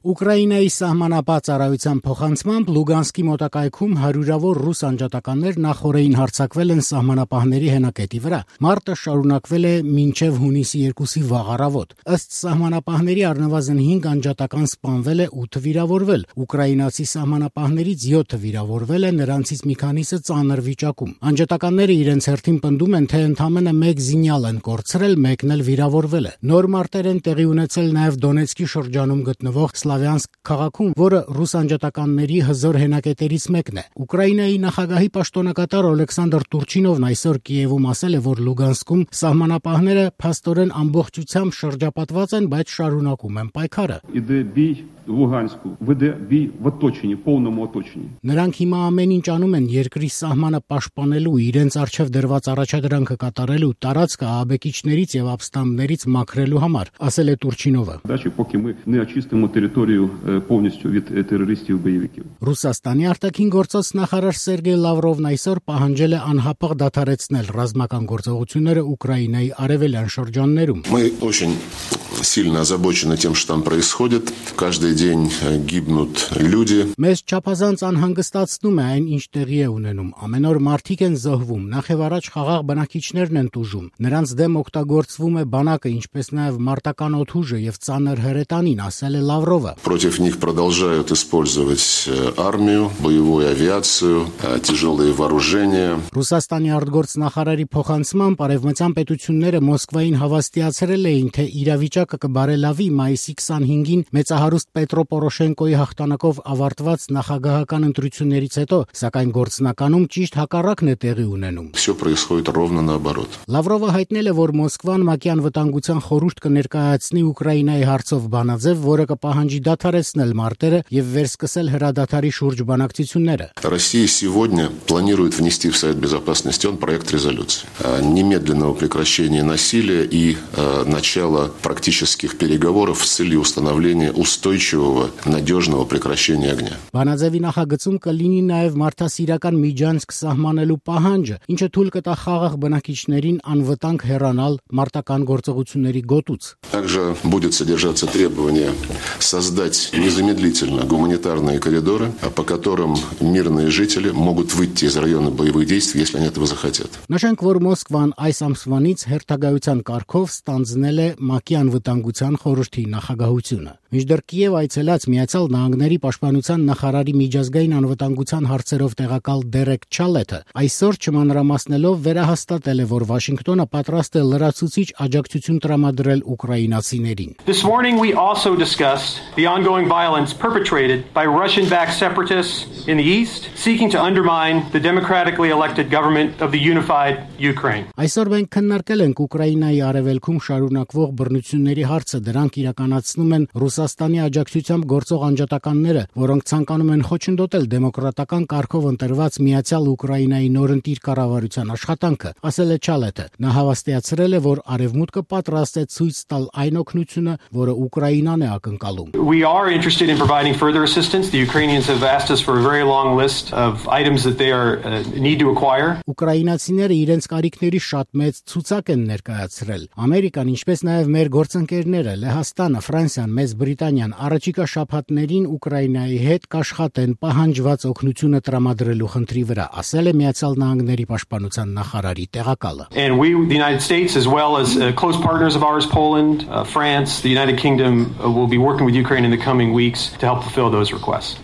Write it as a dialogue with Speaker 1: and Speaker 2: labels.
Speaker 1: Ուկրաինայի սահմանապահ ծառայության փոխանցմամբ Լուգանսկի մոտակայքում հարյուրավոր ռուս անջատականներ նախօրեին հարձակվել են սահմանապահների հենակետի վրա։ Մարտը շարունակվել է մինչև հունիսի 2-ի վաղ առավոտ։ Ըստ սահմանապահների առնվազն 5 անջատական սպանվել է, 8 վիրավորվել։ Ուկրաինացի սահմանապահներից 7 վիրավորվել է, նրանցից մի քանիսը ծանր վիճակում։ Անջատականները իրենց հերթին պնդում են, թե ընդամենը 1 զինյալ են կորցրել, մեկն էլ վիրավորվել է։ Նոր մարտեր են տեղի ունեցել նաև Դոնեցկի շրջանում գտնվող Սլավյանսկ քաղաքում, որը ռուս անջատականների հզոր հենակետերից մեկն է։ Ուկրաինայի նախագահի պաշտոնակատար Օլեքսանդր Տուրչինովն այսօր Կիևում ասել է, որ Լուգանսկում սահմանապահները փաստորեն ամբողջությամբ շրջապատված են, բայց շարունակում են պայքարը։ Նրանք հիմա ամեն ինչ անում են երկրի սահմանը պաշտպանելու, իրենց առջև դրված առաջադրանքը կատարելու, տարածքը ահաբեկիչներից եւ ապստամբներից մաքրելու համար, ասել է Տուրչինովը։ Ռուսաստանի արտաքին գործոց նախարար Սերգեյ Լավրովն այսօր պահանջել է անհապաղ դադարեցնել ռազմական գործողությունները Ուկրաինայի արևելյան շրջաններում։
Speaker 2: Сильно озабочены тем, что там происходит. Каждый день гибнут люди.
Speaker 1: Մեզ չափազանց անհանգստացնում է այն, ինչ տեղի է ունենում։ Ամեն օր մարդիկ են զոհվում, նախև առաջ խաղաղ բնակիչներն են տուժում։ Նրանց դեմ օգտագործվում է բանակը, ինչպես նաև մարտական օդուժը եւ ծանր հրետանին, ասել է Լավրովը։
Speaker 2: Против них продолжают использовать армию, боевую авиацию, тяжелые вооружения.
Speaker 1: Ռուսաստանի արտգործնախարարի փոխանցմամբ արևմտյան պետությունները Մոսկվային հավաստիացրել էին, թե իրավիճակը կբարելավի մայիսի 25-ին մեծահարուստ Պետրո Պորոշենկոյի հաղթանակով ավարտված նախագահական ընտրություններից հետո, սակայն գործնականում ճիշտ հակառակն է տեղի ունենում։
Speaker 2: Всё происходит ровно наоборот.
Speaker 1: Լավրովը հայտնել է, որ Մոսկվան ՄԱԿ-ի անվտանգության խորհուրդ կներկայացնի Ուկրաինայի հարցով բանաձև, որը կպահանջի դադարեցնել մարտերը եւ վերսկսել հրադադարի շուրջ բանակցությունները։
Speaker 2: Россия сегодня планирует внести в Совет Безопасности проект резолюции немедленного прекращения насилия и начала практических переговоров с целью установления устойчивого, надежного прекращения огня.
Speaker 1: Բանաձևի նախագծում կլինի նաև մարդասիրական միջանցք սահմանելու պահանջը, ինչը թույլ կտա խաղաղ բնակիչներին անվտանգ հեռանալ մարտական գործողությունների գոտուց։
Speaker 2: Также будет содержаться требование создать незамедлительно гуманитарные коридоры, по которым мирные жители могут выйти из района боевых действий, если они этого захотят.
Speaker 1: Նշենք, որ Մոսկվան այս ամսվանից հերթագայության կարգով ստանձնել է ՄԱԿ-ի անվտանգության խորհրդի նախագահությունը։ Մինչդեռ Կիև այցելած Միացյալ Նահանգների պաշտպանության նախարարի միջազգային անվտանգության հարցերով տեղակալ Դերեկ Չալեթը այսօր չմանրամասնելով վերահաստատել է, որ Վաշինգտոնը պատրաստ է լրացուցիչ աջակցություն տրամադրել ուկրաինացիներին։
Speaker 3: This morning we also discussed the ongoing violence perpetrated by Russian-backed separatists in the east seeking to undermine the democratically elected government of the unified Ukraine.
Speaker 1: Այսօր մենք քննարկել ենք Ուկրաինայի արևելքում շարունակվող բռնությունների հարցը, դրանք իրականացնում են Ռուսաստանի աջակցությամբ գործող անջատականները, որոնք ցանկանում են խոչընդոտել դեմոկրատական կարգով ընտրված Միացյալ Ուկրաինայի նորընտիր կառավարության աշխատանքը, ասել է Չալեթը։ Նա հավաստիացրել է, որ Արևմուտքը պատրաստ է ցույց տալ այն օգնությունը, որը Ուկրաինան է ակնկալում։
Speaker 3: We are interested in providing further assistance. The Ukrainians have asked us for a very long list of items that they need to acquire.
Speaker 1: Ուկրաինացիները իրենց կարիքների շատ մեծ ցուցակ են ներկայացրել։ Ամերիկան, ինչպես նաև մեր գործընկերները Լեհաստանը, Ֆրանսիան, Մեծ Բրիտանիան առաջիկա շաբաթներին Ուկրաինայի հետ կաշխատեն պահանջված օգնությունը տրամադրելու խնդրի վրա, ասել է Միացյալ Նահանգների պաշտպանության նախարարի տեղակալը։
Speaker 3: And we, the United States, as well as close partners of ours, Poland, France, the United Kingdom, will be working with Ukraine in the coming weeks to help fulfill those requests.